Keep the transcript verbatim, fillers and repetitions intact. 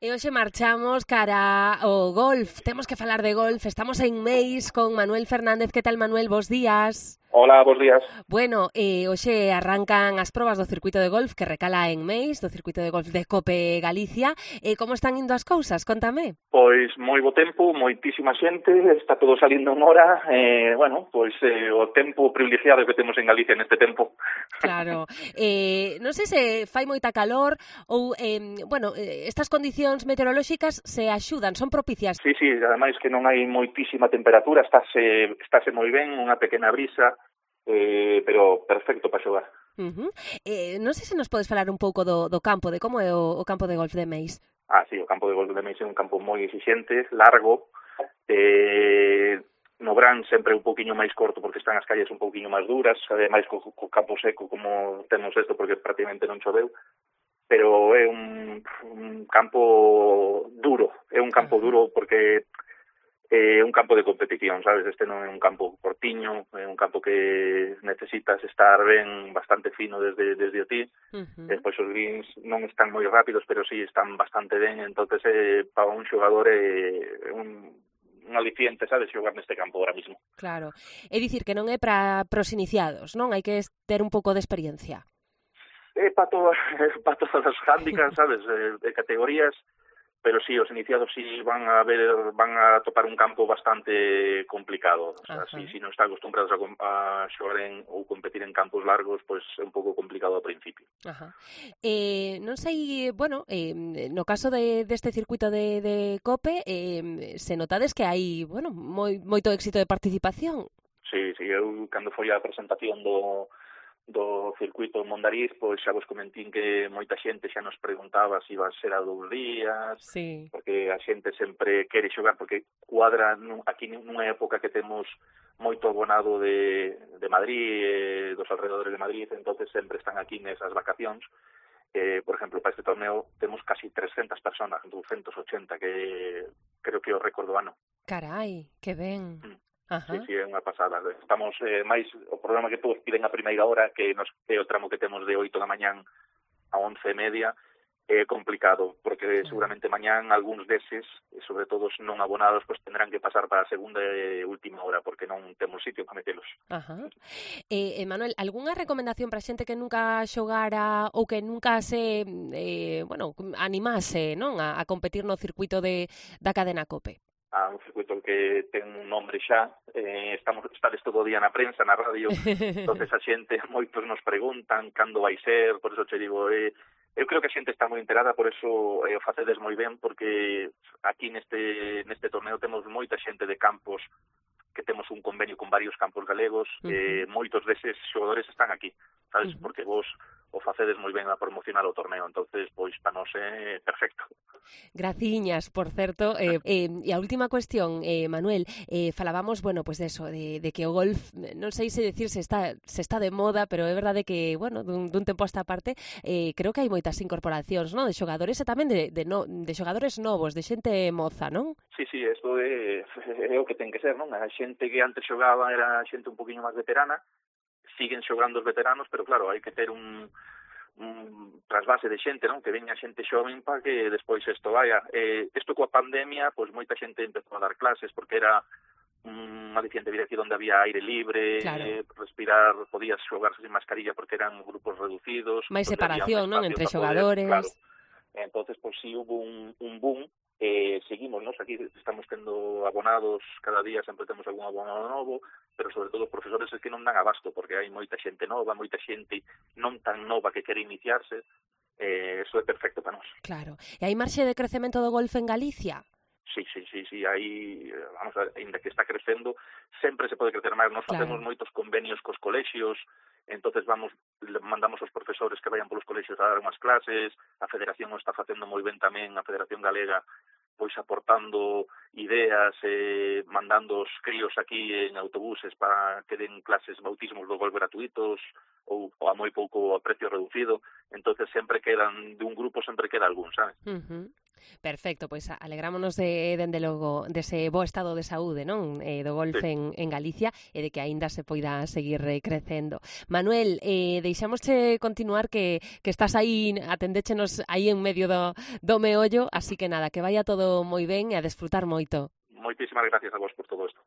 E hoxe marchamos cara ao golf. Temos que falar de golf. Estamos en Meis con Manuel Fernández. Que tal, Manuel? Bos días. Hola, bos días. Bueno, eh, hoxe arrancan as probas do circuito de golf que recala en Meis, do circuito de golf de Cope Galicia. Eh, como están indo as cousas? Contame. Pois moi bo tempo, moitísima xente, está todo salindo en hora, eh, bueno, pois eh, o tempo privilegiado que temos en Galicia neste tempo. Claro, eh, non sei se fai moita calor ou, eh, bueno, eh, estas condicións meteorolóxicas se axudan, son propicias. Sí, sí, ademais que non hai moitísima temperatura, estáse, estáse moi ben, unha pequena brisa, eh, pero perfecto para xogar. Uh-huh. Eh, non sei se nos podes falar un pouco do, do campo, de como é o, o campo de golf de Meis. Ah, sí, o campo de golf de Meis é un campo moi exixente, largo, eh, no verán sempre un poquinho máis corto porque están as calles un poquinho máis duras, ademais co, co campo seco como temos isto porque prácticamente non choveu, pero é un, un campo duro, é un campo duro porque é un campo de competición, sabes? Este non é un campo cortiño, é un campo que necesitas estar ben bastante fino desde desde o ti. Uh-huh. Despois os greens non están moi rápidos, pero sí están bastante ben, entonces eh, para un xogador é eh, un un aliciente, sabes, xogar neste campo ahora mismo. Claro, é dicir que non é para pros iniciados, non? Hai que ter un pouco de experiencia. É para todas, para todas as handicaps, sabes, de categorías, pero sí, os iniciados sí van a ver, van a topar un campo bastante complicado. O sea, si, si non están acostumbrados a, a xogar en, ou competir en campos largos, pois pues é un pouco complicado ao principio. Ajá. Eh, non sei, bueno, eh, no caso de deste circuito de, de Cope, eh, se notades que hai, bueno, moi, moito éxito de participación. Sí, sí, eu cando foi a presentación do do circuito en Mondariz, pois xa vos comentín que moita xente xa nos preguntaba se iba a ser a dous días, sí. Porque a xente sempre quere xogar, porque cuadra aquí nunha época que temos moito abonado de, de Madrid, eh, dos alrededores de Madrid, entonces sempre están aquí nesas vacacións. Eh, por exemplo, para este torneo temos casi trescentas personas, doscientos ochenta, que creo que é o récord do ano. Carai, que ben. Mm. Ajá. Sí, sí, é unha pasada. Estamos eh, máis, o programa que todos piden a primeira hora, que nos é o tramo que temos de oito da mañán a once e media, é complicado, porque claro, seguramente mañán algúns deses, e sobre todo os non abonados, pues tendrán que pasar para a segunda e última hora, porque non temos sitio para metelos. Ajá. Eh, Manuel, algunha recomendación para xente que nunca xogara ou que nunca se, eh, bueno, animase, non, a, a competir no circuito de da cadena Cope? A un circuito que ten un nombre xa, eh, estamos estades todo o día na prensa, na radio, entonces a xente, moitos nos preguntan cando vai ser, por eso che digo, eh, eu creo que a xente está moi enterada, por eso eh, o facedes moi ben, porque aquí neste neste torneo temos moita xente de campos, que temos un convenio con varios campos galegos, uh-huh. eh, moitos deses xogadores están aquí, sabes, uh-huh. porque vos o facedes moi ben a promocionar o torneo, entonces pois para nós é perfecto. Graciñas, por certo. Eh, eh, e a última cuestión, eh, Manuel, eh, falábamos, bueno, pues de eso, de, de que o golf, non sei se decir se está se está de moda, pero é verdade que, bueno, dun, dun tempo a esta parte, eh, creo que hai moitas incorporacións, non? De xogadores e tamén de, de, no, de xogadores novos, de xente moza, non? Sí, sí, isto é, é o que ten que ser, non? A xente que antes xogaba era xente un poquinho máis veterana, siguen xogando os veteranos, pero claro, hai que ter un, un trasvase de xente, non? Que veña xente xoven para que despois isto vaya. Eh, isto coa pandemia, pois moita xente empezou a dar clases, porque era un aliciente vir aquí onde había aire libre, claro. eh, respirar, podías xogarse sin mascarilla porque eran grupos reducidos. Mais separación, non? Entre xogadores. Poder, claro. Entonces, pois si hubo un, un boom. Eh, seguimos, nos aquí estamos tendo abonados cada día, sempre temos algún abonado novo, pero sobre todo os profesores é que non dan abasto, porque hai moita xente nova, moita xente non tan nova que quere iniciarse, eh, eso é perfecto para nós. Claro. E hai marxe de crecemento do golf en Galicia? Sí, sí, sí, sí, aí, vamos a ver, ainda que está crecendo, sempre se pode crecer máis. Nos claro. Facemos moitos convenios cos colexios, entonces vamos, mandamos os profesores que vayan polos colexios a dar unhas clases, a Federación o está facendo moi ben tamén, a Federación Galega, pois aportando ideas, eh, mandando os críos aquí en autobuses para que den clases bautismos do golf gratuitos ou, ou a moi pouco a precio reducido, entonces sempre quedan, de un grupo sempre queda algún, sabes? Uh-huh. Perfecto, pois alegrámonos de, dende logo dese bo estado de saúde, non? Eh, do golf Sí. en, en Galicia e de que aínda se poida seguir eh, crecendo. Manuel, eh, deixámosche continuar que, que estás aí, atendéchenos aí en medio do, do meollo, así que nada, que vaya todo moi ben e a desfrutar moito. Moitísimas gracias a vos por todo isto.